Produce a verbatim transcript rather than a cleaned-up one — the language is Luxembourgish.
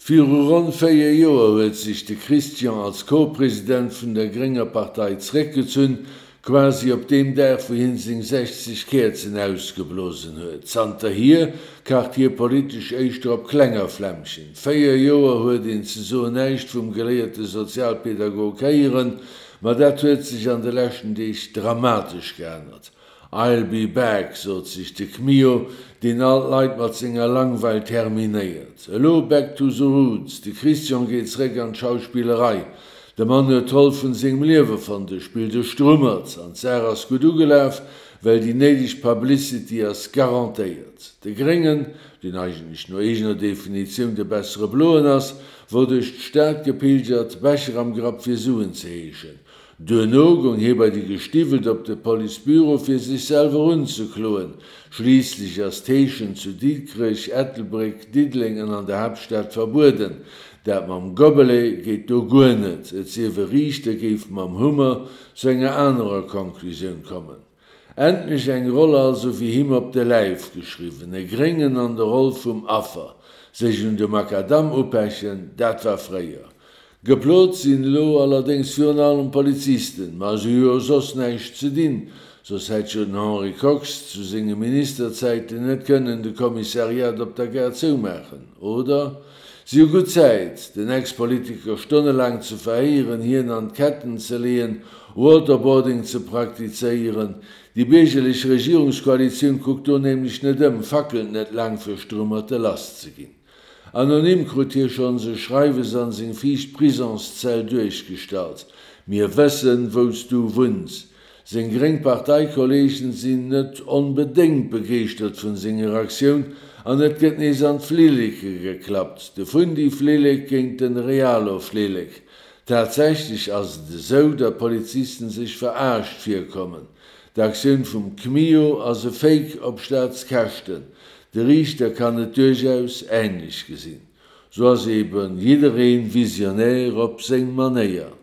Viru ronn véier Joer huet sech de Christian als Co-President vun der grénger Partei zréckgezunn, quasi op deem Dag wou hien seng sechzeg Käerzen ausgeblosen huet. Zanterhier kacht hie politesch éischter op klenger Flämmchen. Véier Joer huet een ze soen näischt vum geléierte Sozialpedagog héieren, ma dat huet sech an de leschten Deeg dramatesch geännert. I'll be back, sot sech de Kmio, deen all d'Leit mat senger Langweil terminéiert. Elo back to the roots, de Christian geet zeréck an d'Schauspillerei. De Mann huet d'Roll vun sengem Liewe fonnt, e spillt e Strummert an d'Saach ass gutt ugelaf, well déi néideg Publicity ass garantéiert. De Gréngen, deen eigentlech no eegener Definitioun de bessere Bloen ass, wor duerch d'Stad gepilgert, Becher am Grapp fir Suen ze heeschen. Duerno goung hie bei déi Gestiwwelt op de Policebüro fir sech selwer unzekloen. Schliisslech ass d'Heeschen zu Dikrech, Ettelbréck, Diddeleng an an der Haaptstad verbueden. Dat mam Gobelet geet do guer net, et sief e Riichter géif mam Hummer zu enger anerer Conclusioun kommen. Endlech eng Roll also wéi him op de Läif geschriwwen, e Gréngen an der Roll vum Affer. Sech un de Makadamm upechen, dat war fréier. Geplot sinn elo allerdéngs virun allem Polizisten, ma se hu jo soss näischt ze dinn, soss hätt jo den Henri Kox zu senge Ministerzäiten net kënnen de Kommissariat op der Gare zoumaachen, oder? Si hu gutt Zäit, den Ex-Politiker stonnelaang ze verhéieren, hien an d'Ketten ze leeën, Waterboarding ze praktizéieren. Déi biergerlech Regierungskoalitioun kuckt do nämlech net ëm, fackelt net laang fir Strummerte lass ze ginn. Anonym krut hie schonns e Schreiwes an seng viischt Prisonszell duerchgestallt, Mir wëssen, wou s du wunns. Seng gréng Parteikolleegen sinn net onbedéngt begeeschtert vun senger Aktioun an et gëtt nees an d'Flilleke geklappt, de Fundi-Flillek géint den Realo-Flillek. Tatsächlech ass et esou, datt Polizisten sech verarscht virkommen. D'Aktioun vum Kmio ass e Fake op Staatskäschten. De Riichter kann et duerchaus änlech gesinn. Sou ass eben jidderee Visionär op seng Manéier.